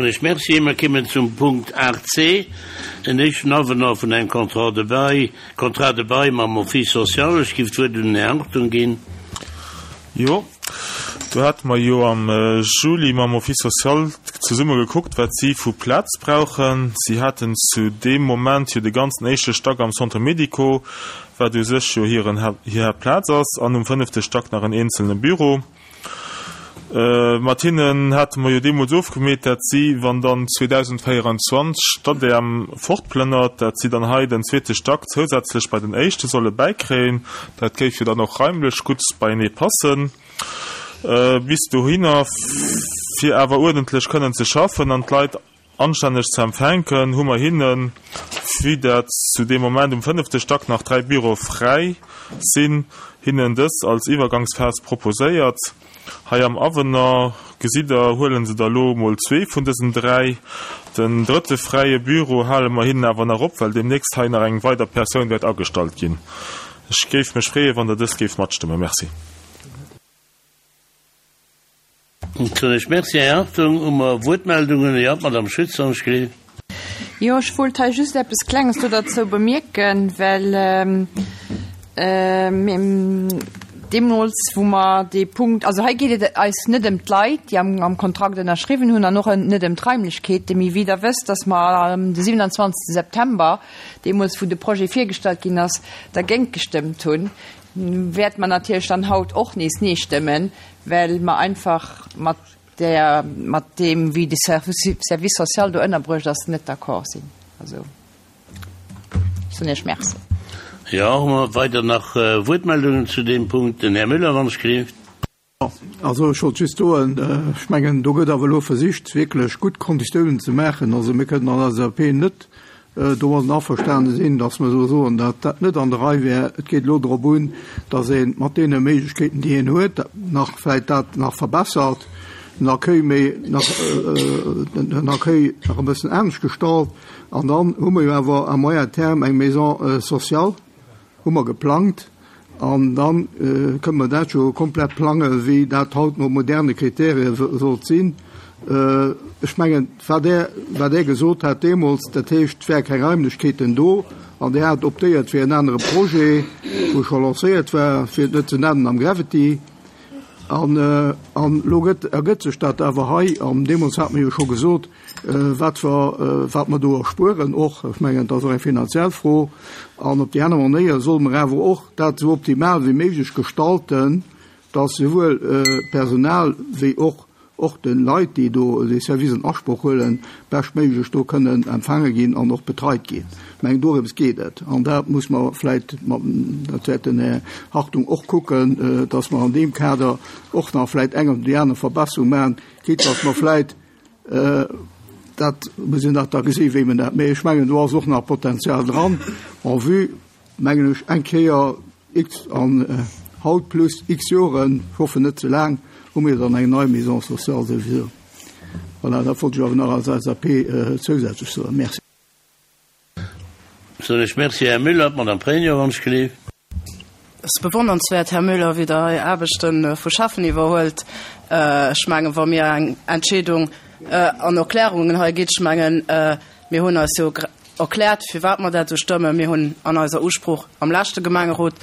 Ech Merci. Mer kimmen zum Punkt 8c, en éischten Avenant vun engem Contrat de bail, Contrat de bail mam Office social. Ech giff d'Wuert un den Här Hartung ginn. Jo, do hate mer jo am Juli mam Office social zesumme gekuckt, wat si vu Plaz brauchen. Si haten zu deem Moment jo de ganzen éischte Stack am Centre médico, wat u sech jo hiren, hir Haaptplaz ass, an um fënnefte Stack nach en eenzelne Büro. Mat hinnen hate mer jo deemools ofgemeet, dat si, wann dann 2024 d'ADEM fortplënnert, dat si dann hei den zweete Stack zousätzlech bei den éischte solle bäikréien. Dat géif jo dann och raimlech gutt beienee passen. Bis dohinner, fir awer uerdentlech kënnen ze schaffen an d'Leit Anstänneg ze empfänken, hu mer hinnen, vue dat zu deem Moment um fënnefte Stack nach 3 Büroe fräi sinn, hinnen dës als Iwwergangsphas proposéiert. Hei am Avenant, gesitt Der, huelen se der lo mol zwee vun dësen 3. Den drëtte fräie Büro hale mer hinnen awer nach op, well deemnächst hei nach eng weider Persoun wäert agestallt ginn. Ech géif mech freeën, wann Der dëst géift matstëmmen. Merci. Soen ech Merci, Här Hartung. Hu mer Wuertmeldungen? Jo, d'Madame Schütz, wann ech gleef. Jo, ech wollt hei just eppes Klenges do derzou bemierken, well deemools, wou mer dee Punkt, also hei geet et eis net ëm d'Leit, déi am Kontrakt ënnerschriwwen hunn, an och net ëm d'Raimlechkeeten. Mee wéi Der wësst, dass mer de 27. September, deemools wou de Projet virgestallt ginn ass, dergéint gestëmmt hunn, wäerte mer natierlech dann haut och nees Nee stëmmen, well mer einfach mat där, mat deem, wéi de Service social do ënnerbruecht ass, net d'accord sinn. Also, ech soen Iech Merci. Jo, hu mer weider nach Wuertmeldungen zu deem Punkt? Den Här Müller, wann ech gleeft. Also ech wollt just soen, ech mengen, do gëtt awer elo versicht, wierklech gutt Konditiounen ze maachen. Also mir kënnen als LSAP net domadden averstane sinn, datt mer elo soen, datt dat net an der Rei wär. Et geet elo drop un, datt ee mat deene Méiglechkeeten, déi een huet, nach vläicht dat nach verbessert, den Accueil méi nach, den Accueil nach e bëssen anescht gestalt. An dann hu mer jo awer à moyen terme eng Maison sociale. Hu mer geplangt an da kënne mer dat jo komplett plange wéi dat haut no moderne Kriterie sollt sinn. Ech mengen, wat Der, wat Der gesot hat deemools, dat heescht, et wäre keng Raimlechkeeten do an Der hat optéiert fir en anere Projet, wou scho lancéiert war, fir et net ze nennen, am Gravity. An elo gëtt, ergëtt sech dat awer hei an deemools hate mer jo scho gesot, Wat mer, wat mer do erspueren och, ech mengen, et ass och eng finanziell Fro, an op déi aner Manéier solle mer awer och dat esou optimal wéi méiglech gestalten, dass souwuel d'Personal wéi och och de Leit, déi do dee Service an Asproch huelen, beschtméiglech do kënnen empfaange ginn an och betreit ginn. Ech mengen, dorëms geet et. An dat muss mer vläicht mat, dat wäert den Här Hartung och kucken, dass mer an deem Kader och nach vläicht eng oder déi aner Verbesserung maachen, quitte dass mer vläicht Dat muss een nach da gesi wéi men dat, mee ech mengen do ass och nach Potenzial dran en vue, mengen ech, eng Kéier x an haut plus x Joren, ech hoffen net ze laang, hu mir dann eng nei Maison sociale souwisou. Voilà, dat wollt ech awer nach als LSAP zousätzlech soen. Merci. Soen ech Merci, Här Müller. D'Madame Pregno, wann ech gleef. Et ass bewonnernswäert, Här Müller, wéi Der hei Aarbechte vu Schäffen iwwerhuelt. Ech mengen, wa mir eng Entscheedung an Erklärungen hei gitt, ech mengen, mir hunn eis jo erkläert, firwat mer dat esou stëmmen. Mir hunn an eiser Usprooch am leschte Gemengerot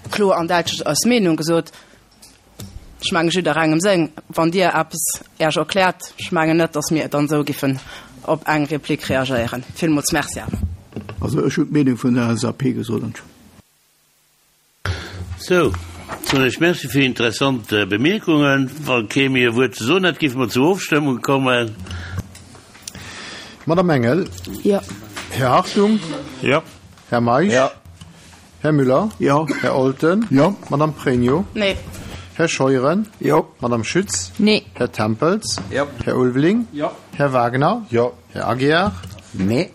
kloer an däitlech eis Meenung gesot. Ech mengen, jidderengem seng. Wann Dir eppes Äech erkläert, ech mengen net, datt mir dann esou giffen op eng Replik reagéieren. Villmools Merci awer. Also ech hunn d'Meenung vun der LSAP gesot. Entschuldigung. Sou, soen ech Merci fir interessant Bemierkungen. Wa kee méi e Wuert ze soen hätt, géife mer zur Ofstëmmung kommen. Madame Engel. Jo. Här Hartung. Jo. Här Meisch. Jo. Här Müller? Jo. Här Olten? Jo. Madame Pregno? Nee. Här Scheuren? Jo. Madame Schütz? Nee. Här Tempels? Jo. Här Ulveling? Jo. Här Wagner? Jo. Här Aguiar? Nee.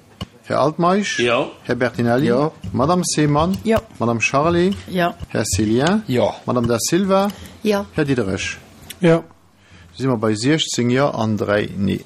Här Altmeisch? Jo. Här Bertinelli? Jo. Madame Seemann? Jo. Madame Charlé? Jo. Här Cillien? Jo. Madame Da Silva? Jo. Här Diderich? Jo. Da si mer bei 16 Jo an 3 Nee.